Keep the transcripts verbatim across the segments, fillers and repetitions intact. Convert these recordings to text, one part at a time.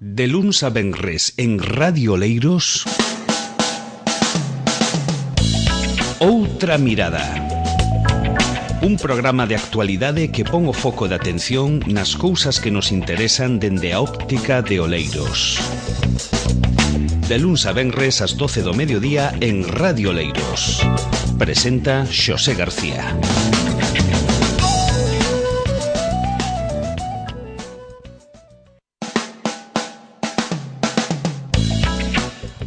De luns a venres en Radio Oleiros, Outra Mirada. Un programa de actualidade que pon o foco de atención nas cousas que nos interesan dende a óptica de Oleiros. De luns a venres ás doce do mediodía en Radio Oleiros. Presenta Xosé García.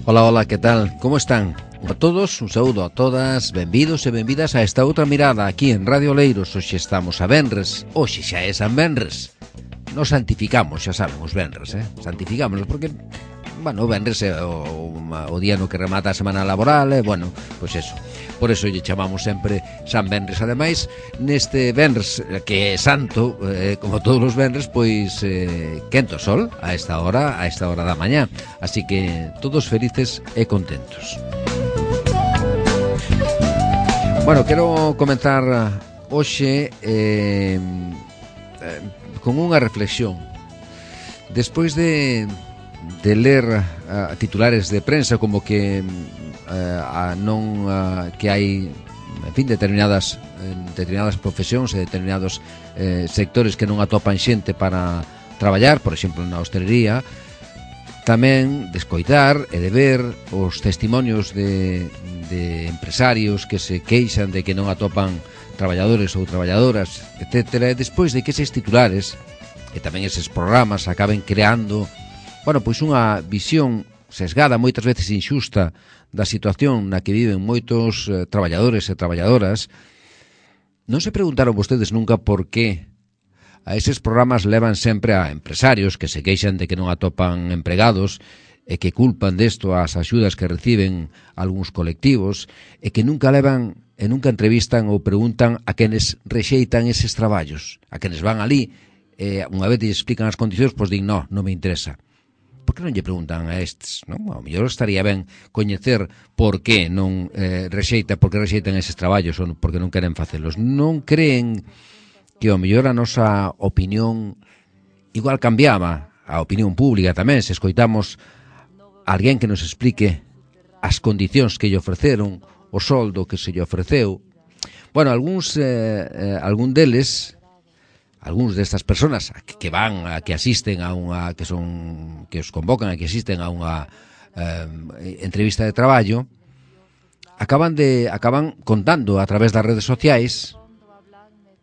Ola, ola, que tal? Como están? A todos, un saúdo a todas, benvidos e benvidas a esta outra mirada aquí en Radio Oleiros. Hoxe estamos a venres, hoxe xa é San Venres. Nos santificamos, xa saben, os venres, eh? Santificámonos porque, bueno, o venres é o, o día no que remata a semana laboral, e, bueno, pois eso. Por eso lle chamamos sempre San Venres. Ademais, neste venres que é santo, eh, como todos os venres, pois eh, quento sol a esta hora, a esta hora da mañá. Así que todos felices e contentos. Bueno, quero comenzar hoxe eh, eh, con unha reflexión. Despois de, de ler uh, titulares de prensa como que Uh, a non uh, que hai, en fin, determinadas en determinadas profesións e determinados eh, sectores que non atopan xente para traballar, por exemplo, na hostelería. Tamén de escoitar e de ver os testimonios de, de empresarios que se queixan de que non atopan traballadores ou traballadoras, etcétera. E despois de que eses titulares e tamén eses programas acaben creando, bueno, pois unha visión sesgada, moitas veces inxusta, da situación na que viven moitos eh, traballadores e traballadoras. Non se preguntaron vostedes nunca por que a eses programas levan sempre a empresarios que se queixan de que non atopan empregados e que culpan desto as axudas que reciben algúns colectivos e que nunca levan e nunca entrevistan ou preguntan a quenes rexeitan eses traballos, a quenes van ali e unha vez lles explican as condicións, pois din, no, non me interesa. Por que non lle preguntan a estes? Non? Ao mellor estaría ben coñecer por que non eh, rexeita, por que rexeitan eses traballos ou por que non queren facelos. Non creen que ao mellor a nosa opinión igual cambiaba, a opinión pública tamén, se escoitamos a alguén que nos explique as condicións que lle ofreceron, o soldo que se lle ofreceu. Bueno, algúns, eh, eh, algún deles, algúns destas personas que van, a que asisten a unha, que son, que os convocan a que asisten a unha eh, entrevista de traballo, acaban de acaban contando a través das redes sociais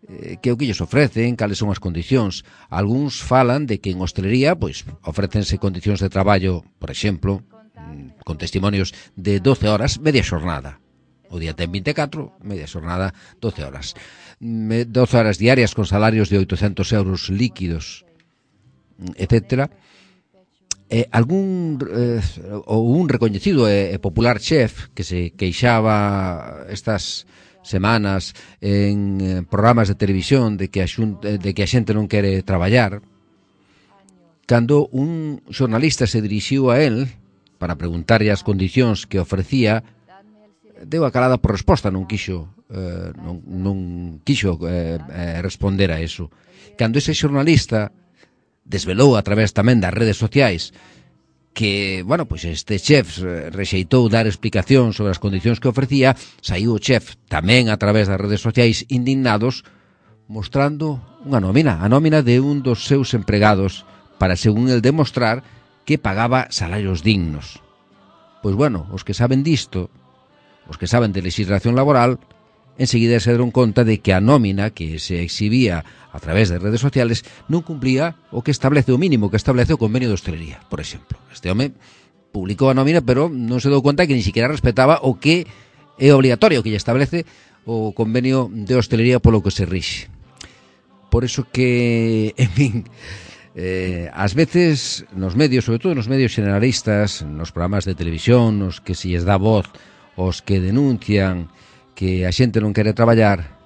eh, que o que lles ofrecen, cales son as condicións. Algúns falan de que en hostelería, pois, ofrécense condicións de traballo, por exemplo, con testimonios de doce horas, media xornada. O día ten vinte e catro, media xornada, doce horas. doce horas diarias con salarios de oitocentos euros líquidos, etcétera. Eh, algún eh, ou un recoñecido e eh, popular chef que se queixaba estas semanas en eh, programas de televisión de que a xunta, de que a xente non quere traballar, cando un xornalista se dirixiu a él para preguntarlle as condicións que ofrecía, deu a calada por resposta, non quixo eh, non, non quixo eh, eh, responder a eso. Cando ese xornalista desvelou a través tamén das redes sociais que, bueno, pois este chef rexeitou dar explicación sobre as condicións que ofrecía, saiu o chef tamén a través das redes sociais indignados, mostrando unha nómina, a nómina de un dos seus empregados para, según el, demostrar que pagaba salarios dignos. Pois bueno, os que saben disto, os que saben de legislación laboral, enseguida se deron conta de que a nómina que se exhibía a través de redes sociales non cumplía o que establece o mínimo que establece o convenio de hostelería, por exemplo. Este home publicou a nómina, pero non se dou conta que ni siquiera respetaba o que é obligatorio, que lle establece o convenio de hostelería polo que se rixe. Por eso que, en fin, eh, ás veces nos medios, sobre todo nos medios generalistas, nos programas de televisión, nos que se lles dá voz os que denuncian que a xente non quere traballar,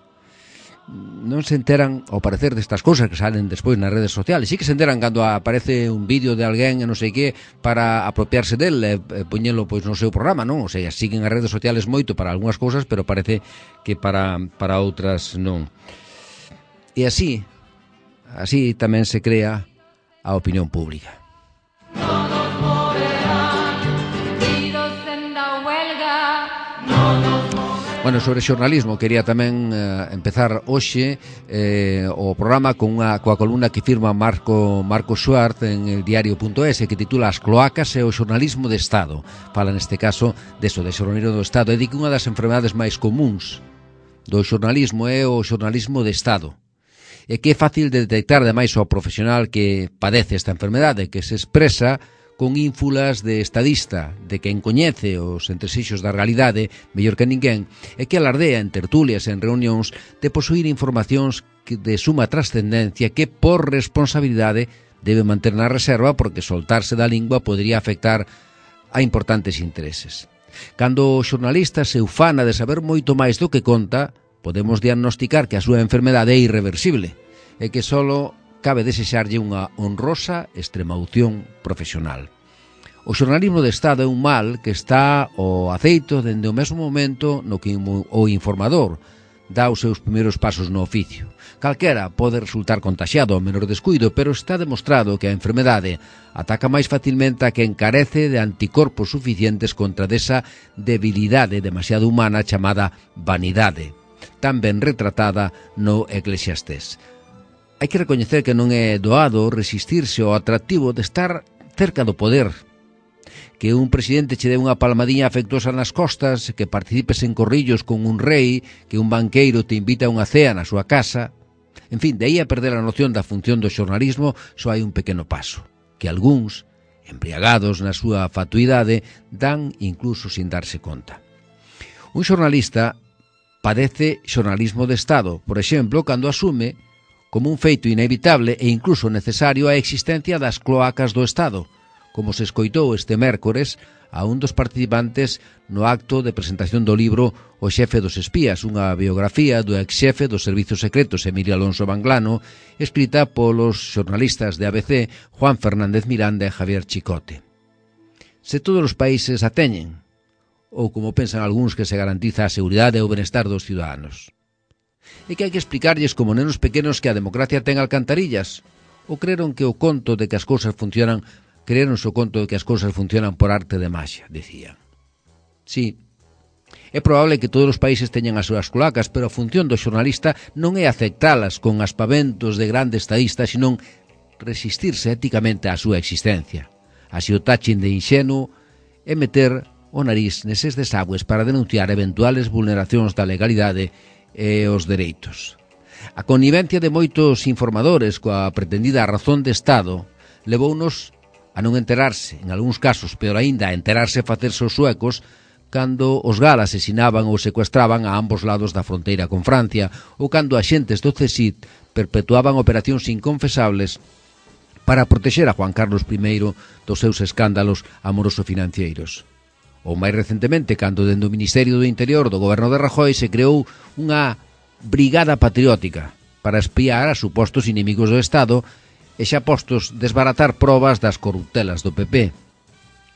non se enteran ao parecer destas cousas que salen despois nas redes sociales. Sí que se enteran cando aparece un vídeo de alguén e non sei que para apropiarse del e, e poñelo pois no seu programa, non? O sea, siguen as redes sociales moito para algunhas cousas, pero parece que para, para outras non. E así, así tamén se crea a opinión pública. Bueno, sobre xornalismo quería tamén eh, empezar hoxe eh, o programa con unha, coa columna que firma Marco, Marco Schwartz en el diario punto es, que titula As cloacas e o xornalismo de Estado. Fala neste caso deso, de xornalismo do Estado, e di que unha das enfermedades máis comuns do xornalismo é o xornalismo de Estado, e que é fácil de detectar ademais ao profesional que padece esta enfermedade, que se expresa con ínfulas de estadista, de quen coñece os entresixos da realidade mellor que ninguén, e que alardea en tertulias e en reunións de posuir informacións de suma trascendencia que por responsabilidade debe manter na reserva, porque soltarse da lingua podría afectar a importantes intereses. Cando o xornalista se ufana de saber moito máis do que conta, podemos diagnosticar que a súa enfermedade é irreversible e que solo cabe desexarlle unha honrosa extremaución profesional. O xornalismo de Estado é un mal que está ao aceito dende o mesmo momento no que o informador dá os seus primeiros pasos no oficio. Calquera pode resultar contaxiado ao menor descuido, pero está demostrado que a enfermedade ataca máis facilmente a que encarece de anticorpos suficientes contra desa debilidade demasiado humana chamada vanidade, tan ben retratada no Eclesiastés. Hai que recoñecer que non é doado resistirse ao atractivo de estar cerca do poder, que un presidente che dé unha palmadiña afectuosa nas costas, que participes en corrillos con un rei, que un banqueiro te invita a unha cea na súa casa. En fin, de aí a perder a noción da función do xornalismo só hai un pequeno paso, que algúns, embriagados na súa fatuidade, dan incluso sin darse conta. Un xornalista padece xornalismo de Estado, por exemplo, cando asume como un feito inevitable e incluso necesario a existencia das cloacas do Estado, como se escoitou este mércores a un dos participantes no acto de presentación do libro O xefe dos espías, unha biografía do ex-xefe dos servizos secretos Emilio Alonso Banglano, escrita polos xornalistas de A B C Juan Fernández Miranda e Javier Chicote. Se todos os países a teñen, ou como pensan algúns que se garantiza a seguridade e o benestar dos ciudadanos. E que hai que explicarlles como nenos pequenos que a democracia ten alcantarillas, ou creron que o conto de que as cousas funcionan, creron o conto de que as cousas funcionan por arte de maxia, dicían. Sí, é probable que todos os países teñan as súas cloacas, pero a función do xornalista non é aceptalas con aspaventos de grande estadista, senón resistirse éticamente á súa existencia. Así o tachin de inxenuo é meter o nariz neses desagües para denunciar eventuales vulneracións da legalidade e os dereitos. A connivencia de moitos informadores coa pretendida razón de Estado levounos a non enterarse, en algúns casos, peor aínda, a enterarse e facerse os suecos cando os GAL asesinaban ou secuestraban a ambos lados da fronteira con Francia, ou cando axentes do C S I D perpetuaban operacións inconfesables para protexer a Juan Carlos primeiro dos seus escándalos amoroso-financeiros. Ou máis recentemente, cando dende o Ministerio do Interior do goberno de Rajoy se creou unha brigada patriótica para espiar a supostos inimigos do Estado e xa postos desbaratar probas das corruptelas do P P.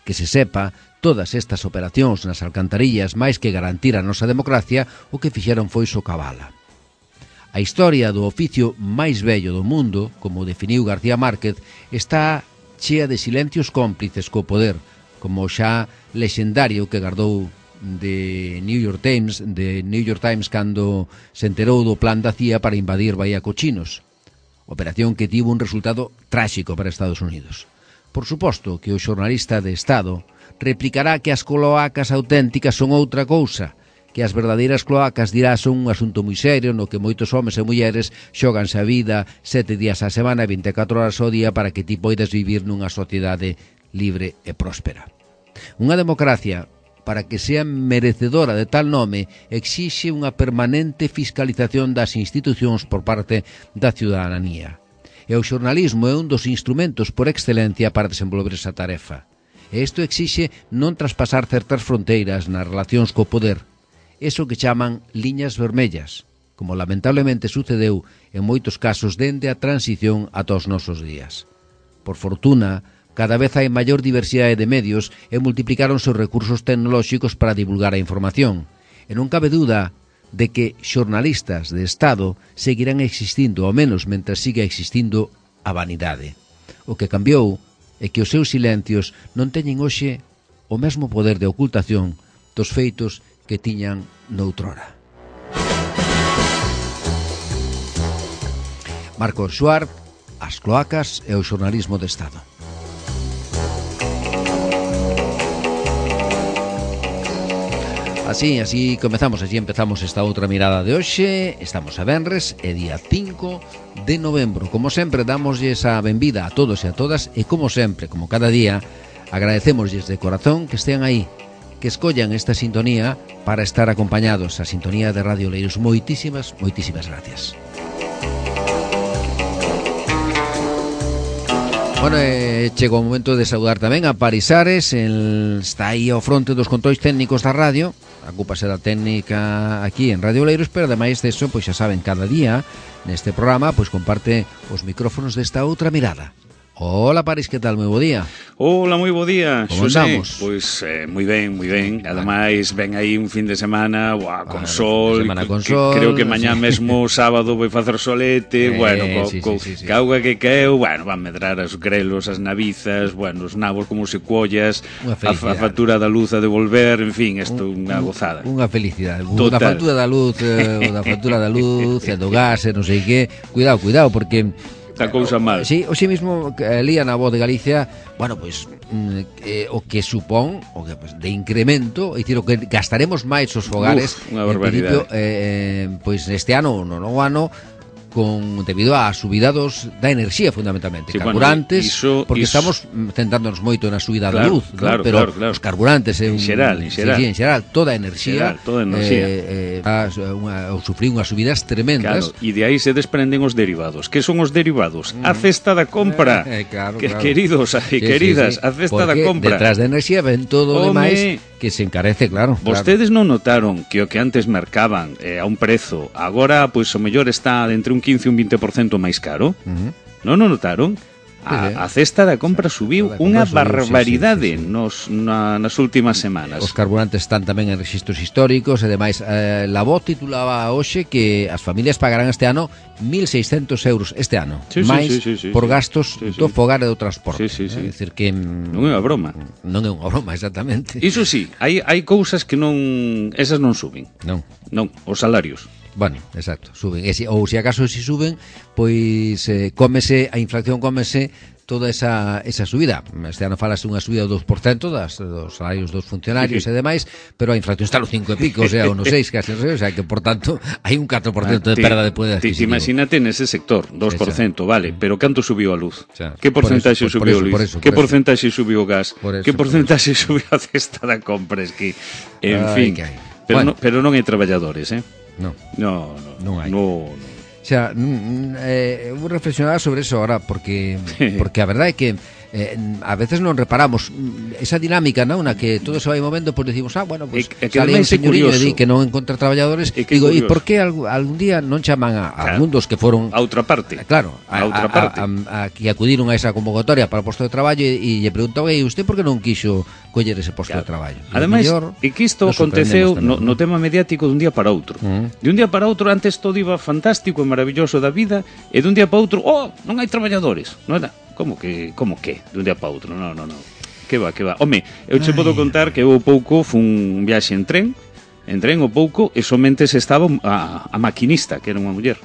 Que se sepa, todas estas operacións nas alcantarillas, máis que garantir a nosa democracia, o que fixeron foi socabala. A historia do oficio máis vello do mundo, como definiu García Márquez, está chea de silencios cómplices co poder, como xa lexendario que gardou de New York Times, de New York Times cando se enterou do plan da C I A para invadir Bahía Cochinos. Operación que tivo un resultado tráxico para Estados Unidos. Por suposto que o xornalista de Estado replicará que as cloacas auténticas son outra cousa, que as verdadeiras cloacas dirá son un asunto moi serio no que moitos homes e mulleres xoganse a vida sete días á semana e vinte e catro horas ao día para que ti poidas vivir nunha sociedade libre e próspera. Unha democracia, para que sea merecedora de tal nome, exixe unha permanente fiscalización das institucións por parte da ciudadanía. E o xornalismo é un dos instrumentos por excelencia para desenvolver esa tarefa. E isto exixe non traspasar certas fronteiras nas relacións co poder, eso que chaman liñas vermellas, como lamentablemente sucedeu en moitos casos dende a transición ata os nosos días. Por fortuna, cada vez hai maior diversidade de medios e multiplicaronse os recursos tecnolóxicos para divulgar a información. E non cabe duda de que xornalistas de Estado seguirán existindo, ao menos mentre siga existindo a vanidade. O que cambiou é que os seus silencios non teñen hoxe o mesmo poder de ocultación dos feitos que tiñan noutrora. Marcos Suárez, as cloacas e o xornalismo de Estado. Así, así comezamos, así empezamos esta outra mirada de hoxe. Estamos a venres, é día cinco de novembro. Como sempre, damoslle esa benvida a todos e a todas e como sempre, como cada día, agradecemosles de corazón que estean aí, que escollan esta sintonía para estar acompañados. A sintonía de Radio Oleiros. Moitísimas, moitísimas gracias. Bueno, eh, chegou o momento de saudar tamén a Paris Ares. El está aí ao fronte dos controis técnicos da radio. Ocúpase da técnica aquí en Radio Oleiros, pero ademais deso, pois xa saben, cada día neste programa pois comparte os micrófonos desta outra mirada. Hola, Paris, que tal? Moi bo día. Hola, moi bo día, Como Xosé. andamos? Pois eh, moi ben, moi ben. Ademais, ven aí un fin de semana, buah, con ah, sol, semana con que, sol. Creo que mañá sí. mesmo sábado vai facer solete, eh, bueno, co, sí, co, sí, sí, sí. ca auga que caeu, bueno, van medrar os grelos, as navizas, bueno, os nabos como se collas, a, a factura da luz a devolver, en fin, isto é unha gozada. Unha felicidade. Total. Da factura da luz, eh, da factura da luz, e do gas, e non sei que. Cuidado, cuidado, porque Esta cousa mal. Sí, hoxe mesmo eh, lía na Voz de Galicia, bueno, pois eh, o que supón o que pues, de incremento, é dicir, o que gastaremos máis os fogares. Uf, unha barbaridade. En principio, eh, pois este ano, no novo ano, con debido á subida dos da enerxía fundamentalmente, sí, carburantes, bueno, iso, porque iso... estamos centrándonos moito na subida claro, da luz, claro, ¿no? Pero claro, claro. os carburantes é un, en xeral, en xeral. Sí, sí, en xeral, toda a enerxía, xeral, toda a enerxía. Eh, eh, unha, ou sufrir unhas subidas tremendas. Claro, e de aí se desprenden os derivados. Que son os derivados? Mm. A cesta da compra. Eh, eh, claro, que, claro. Queridos e sí, queridas, sí, sí. a cesta porque da compra. Detrás da enerxía ven todo o demais que se encarece, claro. Vostedes claro. non notaron que o que antes mercaban eh, a un prezo, agora pois o mellor está entre un quince e un vinte por cento máis caro? Uh-huh. Non o notaron? A, a cesta da compra subiu unha barbaridade sí, sí, sí, sí. Nos, na, nas últimas semanas. Os carburantes están tamén en registros históricos e demais. Eh, la voz titulaba hoxe que as familias pagarán este ano mil seiscentos euros este ano, sí, máis sí, sí, sí, por sí, gastos sí, sí. do fogar e do transporte. Sí, sí, sí. É dicir que non é unha broma. Non é unha broma, exactamente. Iso sí, hai hai cousas que non esas non suben. Non. Non, os salarios. Bueno, exacto, suben. E si, ou se acaso si suben, pois eh, cómese, a inflación cómese toda esa, esa subida. Este ano falase unha subida do dos por cento das, dos salarios dos funcionarios sí, sí. e demais, pero a inflación está no cinco e pico, o sea, o no seis, casi, o sea, que por tanto hai un catro por cento ah, de perda de poder adquisitivo. Imagínate nese sector, dos por cento, vale, pero canto subiu a luz? Xa, que porcentaxe por eso, subiu por eso, a luz? por eso, que por porcentaxe subiu o gas? Por eso, que porcentaxe subiu a cesta da compra? Es que, en Ay, fin, que pero, bueno. no, pero non hai traballadores, eh? No, no, no, non hai. No, no. O sea, eh, vou reflexionar sobre eso ahora porque porque a verdade é que eh, a veces non reparamos esa dinámica, non, na que todo se vai movendo, pois pues decimos, ah, bueno, pues e, sale un señoriño e di que non encontra traballadores, e digo, e por que algún, algún día non chaman a, a claro. algún dos que foron a outra parte, claro, a, a outra parte, a, a, a, a, que acudiron a esa convocatoria para o posto de traballo e, e lle preguntou, e usted por que non quixo coller ese posto claro. de traballo? Ademais, e que isto aconteceu no, no tema mediático dun día para outro. Uh-huh. De un día para outro, antes todo iba fantástico e maravilloso da vida, e dun día para outro, oh, non hai traballadores, non era? Como que, como que, dun día para outro? Non, non, non. Que va, que va. Home, eu che podo contar que eu pouco fun un viaxe en tren, en tren o pouco, e somente se estaba a, a maquinista, que era unha muller.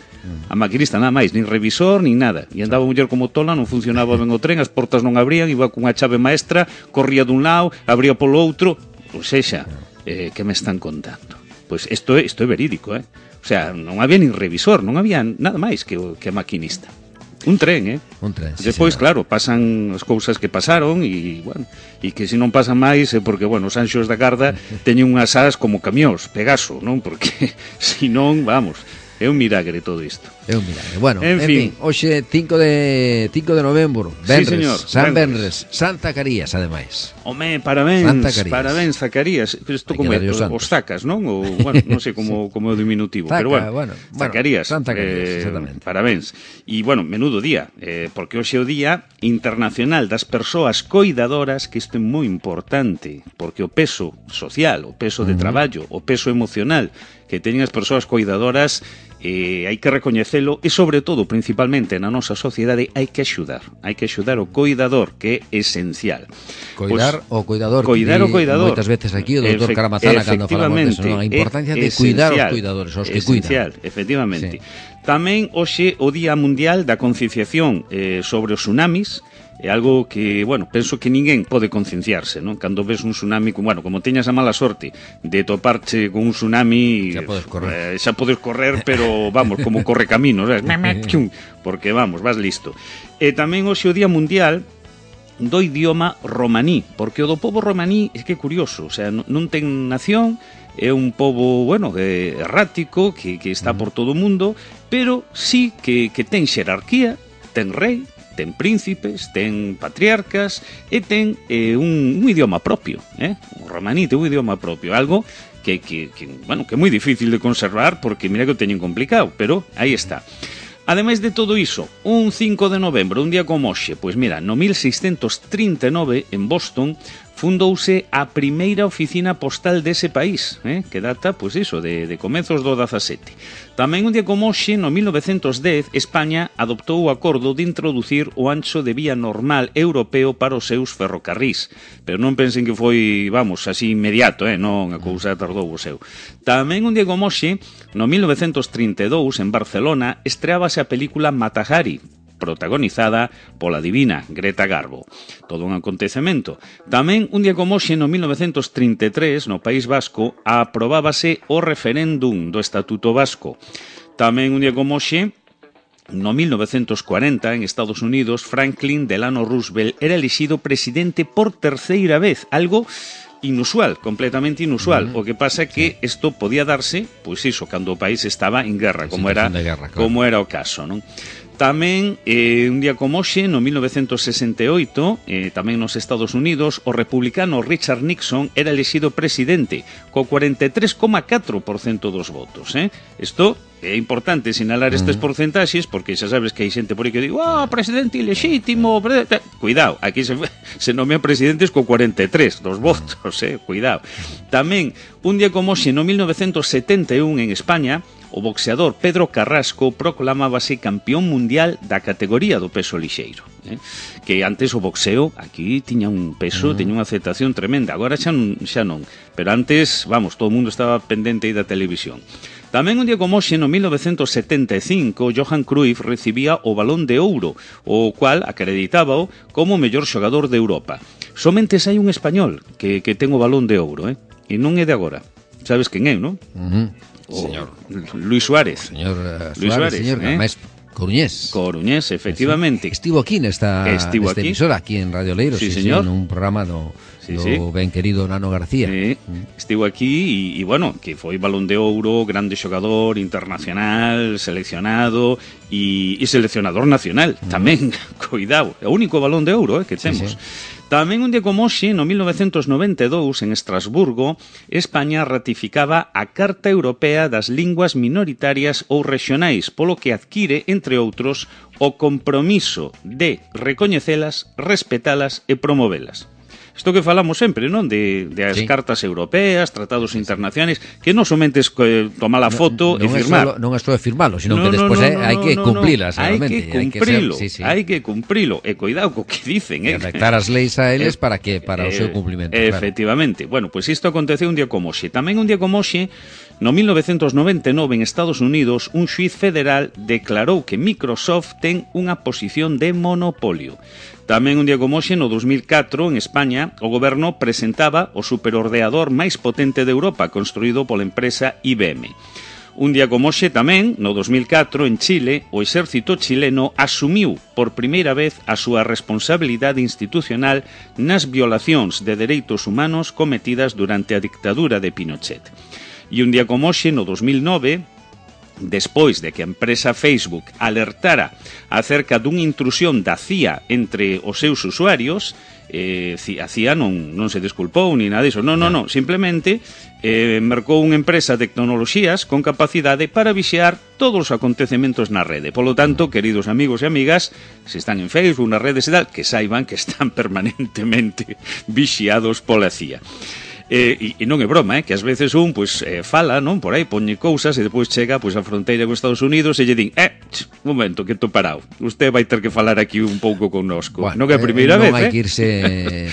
A maquinista nada máis, nin revisor, nin nada. E andaba a muller como tola, non funcionaba ben o tren, as portas non abrían, iba cunha chave maestra, corría dun lado, abría polo outro. Pois sexa, eh, que me están contando? Pois isto é, isto é verídico, eh? O sea, non había nin revisor, non había nada máis que, que a maquinista. Un tren, eh? Un tren, sí, despois, señor. Claro, pasan as cousas que pasaron e, bueno, e que se non pasan máis é porque, bueno, os anxos da garda teñen unhas ás como camións, Pegaso, non? Porque, se non, vamos, é un milagre todo isto. É un milagre. Bueno, en, en fin, fin hoxe cinco de novembro, Benres, sí, señor, San Benres, Santa Carías, ademais. Home, parabéns, parabéns, Zacarías. Isto como é, os Zacas, non? Ou, bueno, non sei como, como é o diminutivo, Zaca, pero bueno, bueno Zacarías, Santa Carías, eh, exactamente. Parabéns. E, bueno, menudo día, eh, porque hoxe é o Día Internacional das Persoas Coidadoras, que isto é moi importante, porque o peso social, o peso de uh-huh. traballo, o peso emocional que teñen as persoas coidadoras eh, hai que recoñecelo e, sobre todo, principalmente na nosa sociedade, hai que axudar. Hai que axudar o coidador, que é esencial. Coidar pues, o coidador. Coidar o coidador. Moitas veces aquí o doutor Caramazana, cando falamos deso, non? A importancia de cuidar os cuidadores, os que esencial, cuidan. Efectivamente. Sí. Tamén, hoxe, o Día Mundial da Concienciación eh, sobre os tsunamis, é algo que, bueno, penso que ninguén pode concienciarse, non? Cando ves un tsunami, bueno, como teñas a mala sorte de toparche con un tsunami, xa podes correr, eh, xa podes correr, pero vamos, como corre caminos, porque vamos, vas listo. E tamén hoxe o Día Mundial do idioma romaní, porque o do pobo romaní é que é curioso, o sea, non ten nación, é un pobo, bueno, errático, que, que está por todo o mundo, pero sí que, que ten xerarquía, ten rei, ten príncipes, ten patriarcas e ten eh, un, un idioma propio, eh? O romaní ten un idioma propio, algo que, que, que, bueno, que é moi difícil de conservar porque mira que o teñen complicado, pero aí está. Ademais de todo iso, un cinco de novembro, un día como hoxe, pois mira, no mil seiscentos trinta e nove, en Boston, fundouse a primeira oficina postal dese país, eh? Que data, pois iso, de, de comezos do dezasete. Tamén un día como hoxe, no mil novecentos dez, España adoptou o acordo de introducir o ancho de vía normal europeo para os seus ferrocarrís. Pero non pensen que foi, vamos, así inmediato, eh? Non, a cousa tardou o seu. Tamén un día como hoxe, no mil novecentos trinta e dous, en Barcelona, estreábase a película Mata Hari, protagonizada pola divina Greta Garbo. Todo un acontecemento. Tamén, un día como hoxe, no mil novecentos trinta e tres, no País Vasco, aprobábase o referéndum do Estatuto Vasco. Tamén, un día como hoxe, no mil novecentos cuarenta, en Estados Unidos, Franklin Delano Roosevelt era elexido presidente por terceira vez, algo inusual, completamente inusual. Uh-huh. O que pasa é que isto podía darse, pois iso, cando o país estaba en guerra, como era, guerra, claro. como era o caso, non? Tamén, eh, un día como hoxe, no mil novecentos sesenta e oito, eh, tamén nos Estados Unidos, o republicano Richard Nixon era elexido presidente, co cuarenta e tres coma catro por cento dos votos. Eh? Isto é importante sinalar estes porcentaxes, porque xa sabes que hai xente por aí que digo, ah, oh, presidente ilexítimo, pre... cuidado, aquí se, se nomean presidentes co cuarenta e tres dos votos, eh? Cuidado. Tamén, un día como hoxe, no mil novecentos setenta e un, en España, o boxeador Pedro Carrasco proclamábase campeón mundial da categoría do peso lixeiro, eh? Que antes o boxeo aquí tiña un peso, uh-huh. tiña unha aceptación tremenda, agora xa non, xa non, pero antes, vamos, todo o mundo estaba pendente aí da televisión. Tamén un día como hoxe, no mil novecentos setenta e cinco, Johan Cruyff recibía o Balón de Ouro, o cual acreditábao como o mellor xogador de Europa. Somente hai un español que, que ten o Balón de Ouro, eh? E non é de agora. Sabes quen é, non? Uh-huh. O señor Luis Suárez. Señor uh, Luis Suárez, Suárez, señor, eh? máis Coruñés. Coruñés, efectivamente. Estivo aquí nesta, Estivo nesta aquí. emisora, aquí en Radio Leiro, sí, sí, señor. Sí, nun programa do, sí, do sí. ben querido Nano García. Sí. Mm. Estivo aquí e, e, bueno, que foi Balón de Ouro, grande xogador, internacional, seleccionado e, e seleccionador nacional. Mm. Tamén, cuidado, é o único Balón de Ouro eh, que temos. Sí, sí. Tamén un día como hoxe, no mil novecentos noventa e dous, en Estrasburgo, España ratificaba a Carta Europea das Linguas Minoritarias ou Rexionais, polo que adquire, entre outros, o compromiso de recoñecelas, respetalas e promovelas. Isto que falamos sempre, non? De, de as sí. cartas europeas, tratados internacionais, que non somente es eh, tomar a foto no, no e firmar. Solo, non é só firmalo, sino no, que despois no, no, hai, hai que no, cumplilas. No, hai que cumprilo, hai que, ser, sí, sí. hai que cumprilo. E cuidado co que dicen. Eh? Adaptar as leis a eles eh, para que para eh, o seu cumplimento. Eh, efectivamente. Claro. Bueno, pois pues isto aconteceu un día como hoxe. Tamén un día como hoxe, no mil novecentos noventa e nove, en Estados Unidos, un xuiz federal declarou que Microsoft ten unha posición de monopolio. Tamén un día como hoxe, no dos mil catro, en España, o goberno presentaba o superordenador máis potente de Europa, construído pola empresa I B M. Un día como hoxe tamén, no dos mil catro, en Chile, o exército chileno asumiu por primeira vez a súa responsabilidade institucional nas violacións de dereitos humanos cometidas durante a dictadura de Pinochet. E un día como hoxe, no dos mil nove, despois de que a empresa Facebook alertara acerca dunha intrusión da C I A entre os seus usuarios, eh, a C I A non, non se desculpou ni nada disso, non, non, non, simplemente eh, mercou unha empresa de tecnoloxías con capacidade para vixiar todos os acontecementos na rede. Polo tanto, queridos amigos e amigas, se están en Facebook, nas redes e tal, que saiban que están permanentemente vixiados pola C I A. E, e non é broma, eh, que ás veces un pois, eh, fala, non, por aí, poñe cousas e depois chega pois, a fronteira con Estados Unidos e lle din, eh, ch, un momento, que tô parado, usted vai ter que falar aquí un pouco connosco. Bueno, non é a primeira eh, vez, non hai eh? que irse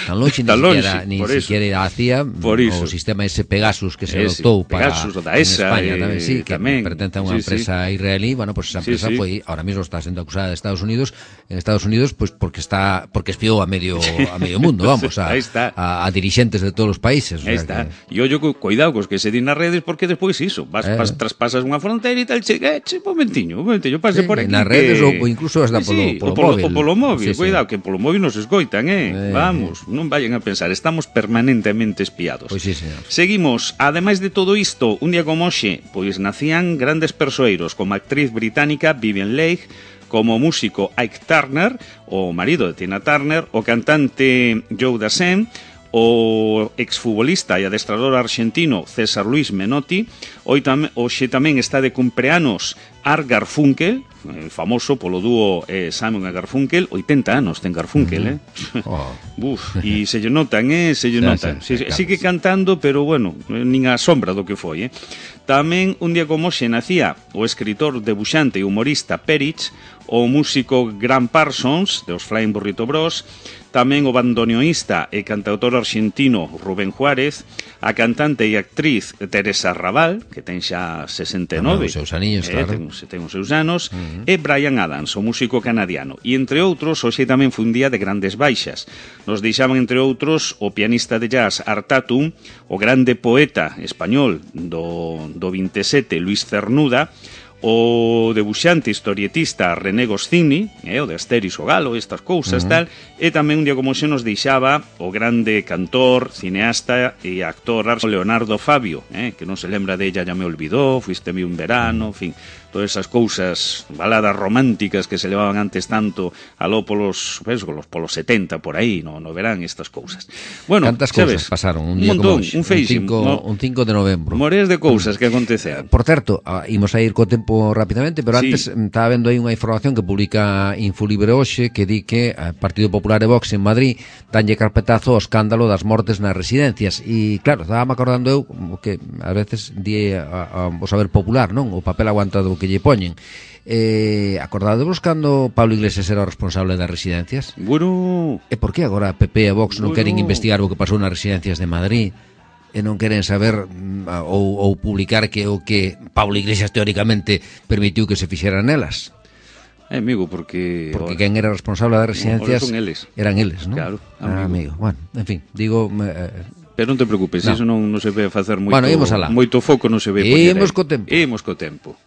tan longe, tan ni longe, siquiera, ni por siquiera ir á C I A, o sistema ese Pegasus que se ese, adoptou para Pegasus, da E S A, en España, eh, tamén, sí, que tamén, pertence a unha sí, empresa sí. israelí, bueno, pues esa empresa sí, sí. foi, ahora mismo está sendo acusada de Estados Unidos, en Estados Unidos, pues porque está, porque espiou a medio, a medio mundo, vamos, a, a, a dirigentes de todos os países. Aí está. E ollo, cuidado cos que se din nas redes, porque despois iso, vas, eh. vas traspasas unha fronteira e tal, che, eh, che, un momentiño, un momentiño, pase sí, por aquí. Nas redes que... ou incluso hasta polo, sí, polo, polo móvil. O polo móvil, sí, cuidado, sí. que polo móvil nos escoitan, eh? eh Vamos, non vayan a pensar, estamos permanentemente espiados. Pois sí, señor. Seguimos, ademais de todo isto, un día como hoxe, pois nacían grandes persoeiros, como a actriz británica Vivien Leigh, como músico Ike Turner, o marido de Tina Turner, o cantante Joe Dassin, o exfutbolista e adestrador argentino César Luis Menotti. Hoy tam, hoxe tamén está de cumpleanos Art Garfunkel, famoso polo dúo eh, Simon e Garfunkel. Oitenta anos ten Garfunkel, eh? Oh. Buf, e se lle notan, eh? Se lle notan. Sí, sí, sigue cantando, pero bueno, nin a sombra do que foi, eh? Tamén un día como hoxe nacía o escritor, debuxante e humorista Perich, o músico Graham Parsons, de os Flying Burrito Bros, tamén o bandoneoísta e cantautor argentino Rubén Juárez, a cantante e actriz Teresa Raval, que ten xa sesenta e nove, os seus aniños, eh, claro. ten, ten os seus anos, uh-huh. e Bryan Adams, o músico canadiano. E entre outros, hoxe tamén foi un día de grandes baixas. Nos deixaban, entre outros, o pianista de jazz Art Tatum, o grande poeta español do, do vinte e sete, Luis Cernuda, o debuxante historietista René Goscinny, eh, o de Asterix o Galo, estas cousas, uh-huh. tal, e tamén un día como xe nos deixaba o grande cantor, cineasta e actor Leonardo Fabio, eh, que non se lembra de Ella ya me olvidó, Fuiste mi un verano, en fin, todas esas cousas, baladas románticas que se levaban antes tanto aló polos, pues, polos setenta, por aí, no, no verán estas cousas. Bueno, cantas cousas pasaron un día un montón, como hoxe, un feiximo, un cinco de novembro. Mores de cousas que aconteceron. Por certo, imos a ir co tempo rapidamente, pero antes sí. Estaba vendo aí unha información que publica Infolibre hoxe que di que o Partido Popular e Vox en Madrid danlle carpetazo ao escándalo das mortes nas residencias e claro, estaba me acordando eu que a veces di a, a, o saber popular, non? O papel aguantado que lle poñen. Eh, acordadevos cando Pablo Iglesias era o responsable das residencias? Bueno. E por que agora P P e Vox non bueno. queren investigar o que pasou nas residencias de Madrid? E non queren saber ou, ou publicar que o que Pablo Iglesias teóricamente permitiu que se fixeran nelas. É, amigo, porque... Porque quen era responsable das residencias son eles. Eran eles, non? Claro, amigo. Ah, amigo. Bueno, en fin, digo... Eh, Pero non te preocupes, no. Iso non, non se ve facer moito, bueno, moito foco, non se ve poñer. Imos co tempo. Imos co tempo.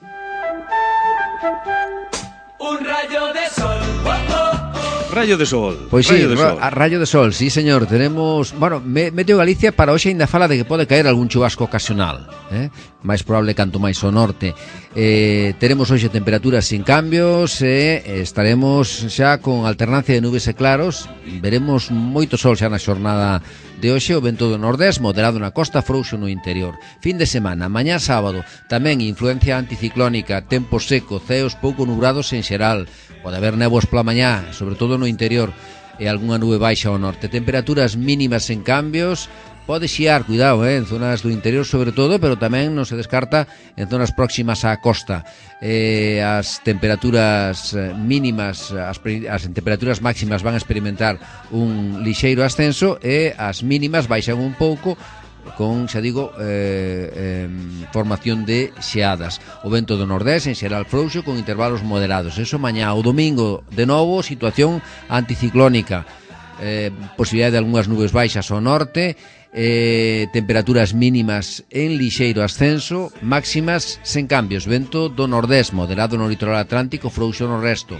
Un rayo de sol. Oh, oh, oh. Rayo de sol. Pois sí, rayo de sol. A rayo de sol, sí, señor. Tenemos, bueno, Meteo Galicia para hoxe ainda fala de que pode caer algún chubasco ocasional, eh? máis probable canto máis ao norte. Eh, teremos hoxe temperaturas sin cambios e eh, estaremos xa con alternancia de nubes e claros. Veremos moito sol xa na xornada de hoxe, o vento do nordés moderado na costa, frouxo no interior. Fin de semana, mañá sábado, tamén influencia anticiclónica, tempo seco, ceos pouco nubrados en xeral. Pode haber néboas pola mañá, sobre todo no interior, e algunha nube baixa ao norte. Temperaturas mínimas en cambios. Pode xiar, cuidado, eh, en zonas do interior sobre todo, pero tamén non se descarta en zonas próximas á costa. Eh, as temperaturas mínimas, as, as temperaturas máximas van a experimentar un lixeiro ascenso e as mínimas baixan un pouco con, xa digo, eh, eh, formación de xeadas. O vento do nordés en xeral frouxo con intervalos moderados. Eso mañá, o domingo, de novo, situación anticiclónica. Eh, posibilidade de algunhas nubes baixas ao norte, eh, temperaturas mínimas en lixeiro ascenso, máximas sen cambios, vento do nordés moderado no litoral atlántico, frouxo no resto.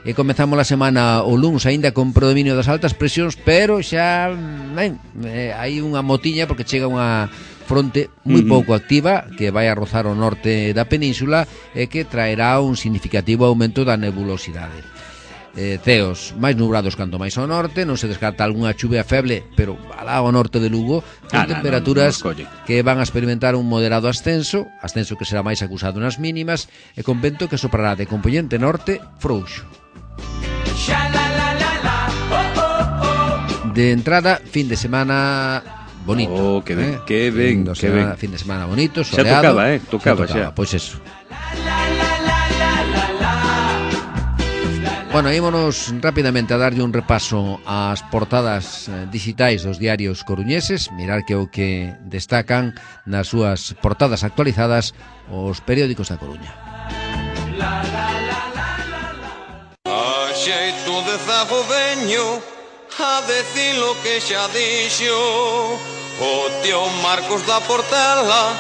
E comezamos a semana o luns aínda con predominio das altas presións, pero xa ben, eh, hai unha motiña porque chega unha fronte moi pouco activa que vai a rozar o norte da península e que traerá un significativo aumento da nebulosidade. Eh, ceos máis nubrados canto máis ao norte, non se descarta algunha chuvia feble, pero alá ao norte de Lugo, con ah, temperaturas no, no, no, que van a experimentar un moderado ascenso, ascenso que será máis acusado nas mínimas, e con vento que soprará de componente norte frouxo. De entrada, fin de semana bonito. Oh, que ben, eh? que ben, fin, que ben. Fin de semana bonito, xa soleado. tocaba, eh, tocaba xa. Tocaba, pois eso. Bueno, ímonos rapidamente a darlle un repaso ás portadas eh, digitais dos diarios coruñeses, mirar que o que destacan nas súas portadas actualizadas os periódicos da Coruña. A xeito de zago veño a decir lo que xa dixo o tío Marcos da Portela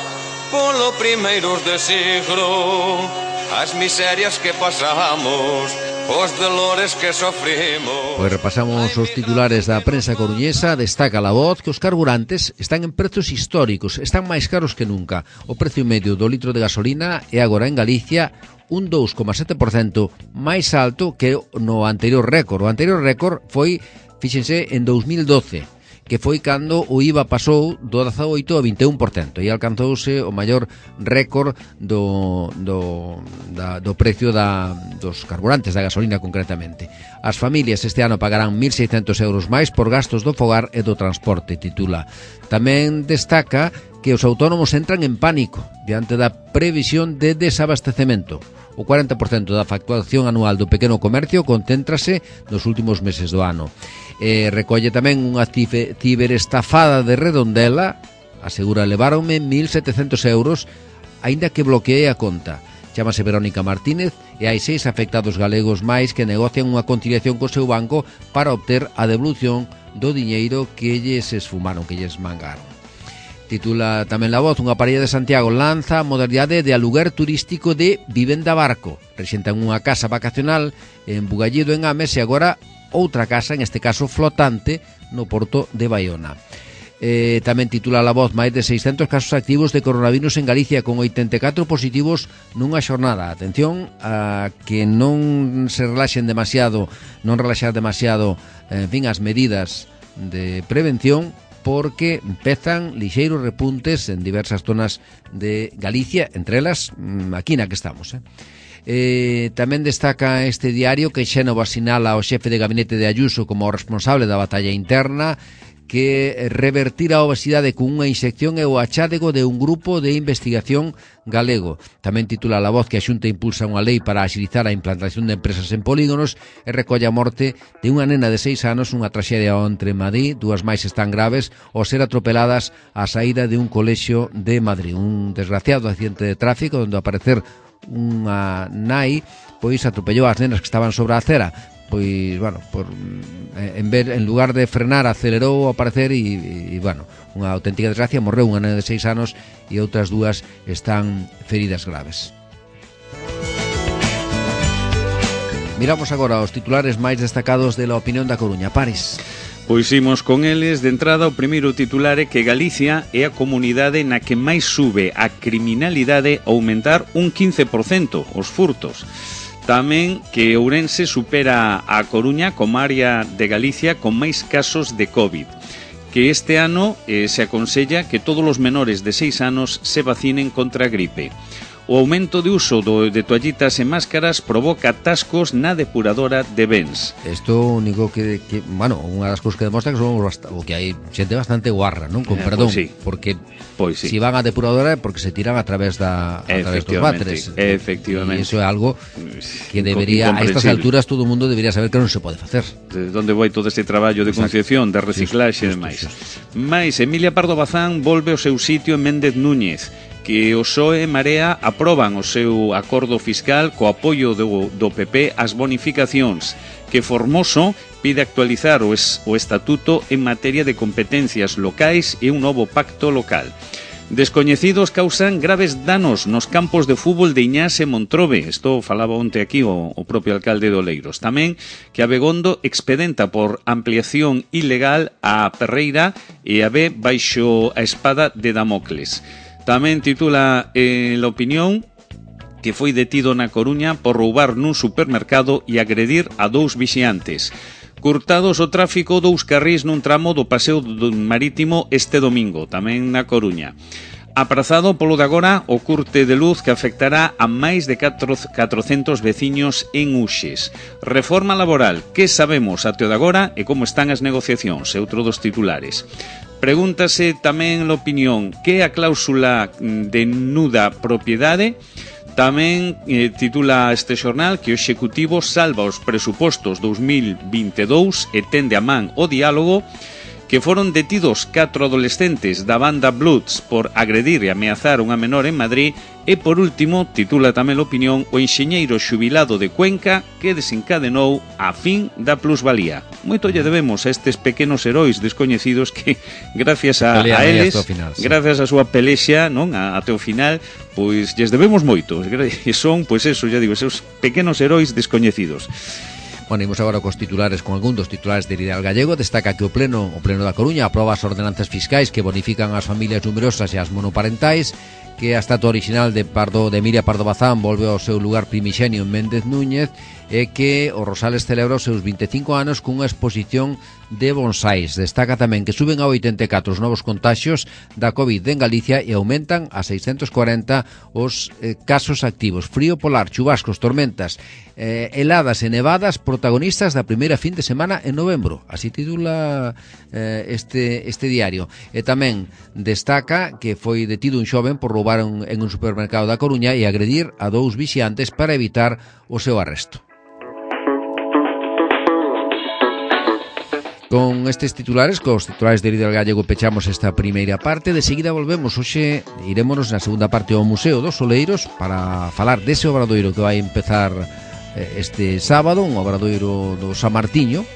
polo primeiros de siglo, as miserias que pasamos, os dolores que sofrimos. Pois repasamos os titulares da prensa coruñesa. Destaca La Voz que os carburantes están en prezos históricos, están máis caros que nunca. O precio medio do litro de gasolina é agora en Galicia un dous coma sete por cento máis alto que no anterior récord. O anterior récord foi, fíxense, en dous mil doce, que foi cando o I V A pasou do dezaoito ao vinte e un por cento e alcanzouse o maior récord do, do, da, do precio da, dos carburantes, da gasolina concretamente. As familias este ano pagarán mil seiscentos euros máis por gastos do fogar e do transporte, titula. Tamén destaca que os autónomos entran en pánico diante da previsión de desabastecemento. O cuarenta por cento da facturación anual do pequeno comercio concéntrase nos últimos meses do ano. Eh, recolle tamén unha ciberestafada de Redondela, asegura leváronme mil setecentos euros, aínda que bloqueei a conta. Chámase Verónica Martínez e hai seis afectados galegos máis que negocian unha conciliación co seu banco para obter a devolución do diñeiro que lles esfumaron, que lles mangaron. Titula tamén La Voz, unha parella de Santiago lanza a modalidade de aluguer turístico de vivenda barco. Rexentan unha casa vacacional en Bugallido, en Ames, e agora outra casa, en este caso flotante, no porto de Baiona. Eh, tamén titula La Voz, máis de seiscentos casos activos de coronavirus en Galicia, con oitenta e catro positivos nunha xornada. Atención a que non se relaxen demasiado, non relaxar demasiado, en fin, as medidas de prevención, porque empezan lixeiros repuntes en diversas zonas de Galicia, entre elas aquí na que estamos, eh? Eh, tamén destaca este diario que Xénova sinala ao xefe de gabinete de Ayuso como responsable da batalla interna, que revertir a obesidade con unha inxección é o achádego de un grupo de investigación galego. Tamén titula La Voz que a Xunta impulsa unha lei para axilizar a implantación de empresas en polígonos e recolle a morte de unha nena de seis anos, unha traxedia entre Madrid, dúas máis están graves, ao ser atropeladas á saída de un colexio de Madrid. Un desgraciado accidente de tráfico onde, ao parecer, unha nai pois atropellou as nenas que estaban sobre a acera. Pois, bueno, por, en, ver, en lugar de frenar, acelerou ao parecer e, e, bueno, unha auténtica desgracia. Morreu unha nena de seis anos e outras dúas están feridas graves. Miramos agora os titulares máis destacados de La Opinión da Coruña. Paris. Pois imos con eles. De entrada, o primeiro titular é que Galicia é a comunidade na que máis sube a criminalidade, a aumentar un quince por cento os furtos. Tamén que Ourense supera a Coruña como área de Galicia con máis casos de COVID. Que este ano eh, se aconsella que todos os menores de seis anos se vacinen contra a gripe. O aumento de uso do, de toallitas e máscaras provoca atascos na depuradora de bens. Isto único que, que, bueno, unha das cousas que demostra que somos bast- o que hai xente bastante guarra, non? Con Eh, perdón, pois sí. porque Pois sí. si van á depuradora é porque se tiran a través da a través dos váteres. Efectivamente. E iso é algo que debería, a estas alturas todo o mundo debería saber que non se pode facer. De onde vai todo este traballo de concienciación, de reciclaxe e demais. Mais Emilia Pardo Bazán volve ao seu sitio en Méndez Núñez, que o P S O E e Marea aproban o seu acordo fiscal co apoio do, do P P ás bonificacións, que Formoso pide actualizar o, es, o estatuto en materia de competencias locais e un novo pacto local. Descoñecidos causan graves danos nos campos de fútbol de Iñás e Montrobe. Isto falaba onte aquí o, o propio alcalde de Oleiros. Tamén que Abegondo expedenta por ampliación ilegal a Perreira e a ve baixo a espada de Damocles. Tamén titula eh, La Opinión que foi detido na Coruña por roubar nun supermercado e agredir a dous vixiantes. Curtados o tráfico dous carrís nun tramo do paseo do marítimo este domingo, tamén na Coruña. Aprazado polo de agora o curte de luz que afectará a máis de catrocentos veciños en Uxes. Reforma laboral, que sabemos até o de agora e como están as negociacións, é outro dos titulares. Pregúntase tamén a opinión que a cláusula de nuda propiedade. Tamén eh, titula este xornal que o Executivo salva os presupostos dous mil vinte e dous e tende a man o diálogo, que foron detidos catro adolescentes da banda Bloods por agredir e ameazar unha menor en Madrid. E por último, titula tamén a opinión, o enxeñeiro xubilado de Cuenca que desencadenou a fin da plusvalía. Moito lle debemos a estes pequenos heróis descoñecidos que, gracias a, a eles, final, sí. gracias a súa pelexa, non, a, até o final, pois lles debemos moito. E son, pois eso, ya digo, esos pequenos heróis descoñecidos. Bueno, imos agora cos titulares, con algún dos titulares de Ideal Gallego. Destaca que o Pleno o Pleno da Coruña aproba as ordenanzas fiscais que bonifican as familias numerosas e as monoparentais, que a estatua original de Pardo de Emilia Pardo Bazán volve ao seu lugar primixenio en Méndez Núñez, e que o Rosales celebra os seus vinte e cinco anos cunha exposición de bonsais. Destaca tamén que suben a oitenta e catro os novos contaxios da COVID en Galicia e aumentan a seiscentos cuarenta os eh, casos activos. Frío polar, chubascos, tormentas, eh, heladas e nevadas protagonistas da primeira fin de semana en novembro. Así titula eh, este, este diario. E tamén destaca que foi detido un xoven por roubar un, en un supermercado da Coruña e agredir a dous vixiantes para evitar o seu arresto. Con estes titulares, cos titulares de Ideal Gallego, pechamos esta primeira parte. De seguida volvemos. Hoxe irémonos na segunda parte ao Museo dos Oleiros para falar dese obradoiro que vai empezar eh, este sábado, un obradoiro do San Martiño.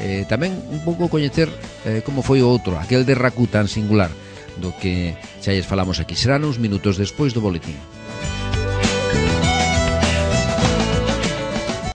Eh, tamén un pouco coñecer eh, como foi o outro, aquel de Racú tan singular, do que xa lles falamos aquí. Serán uns minutos despois do boletín.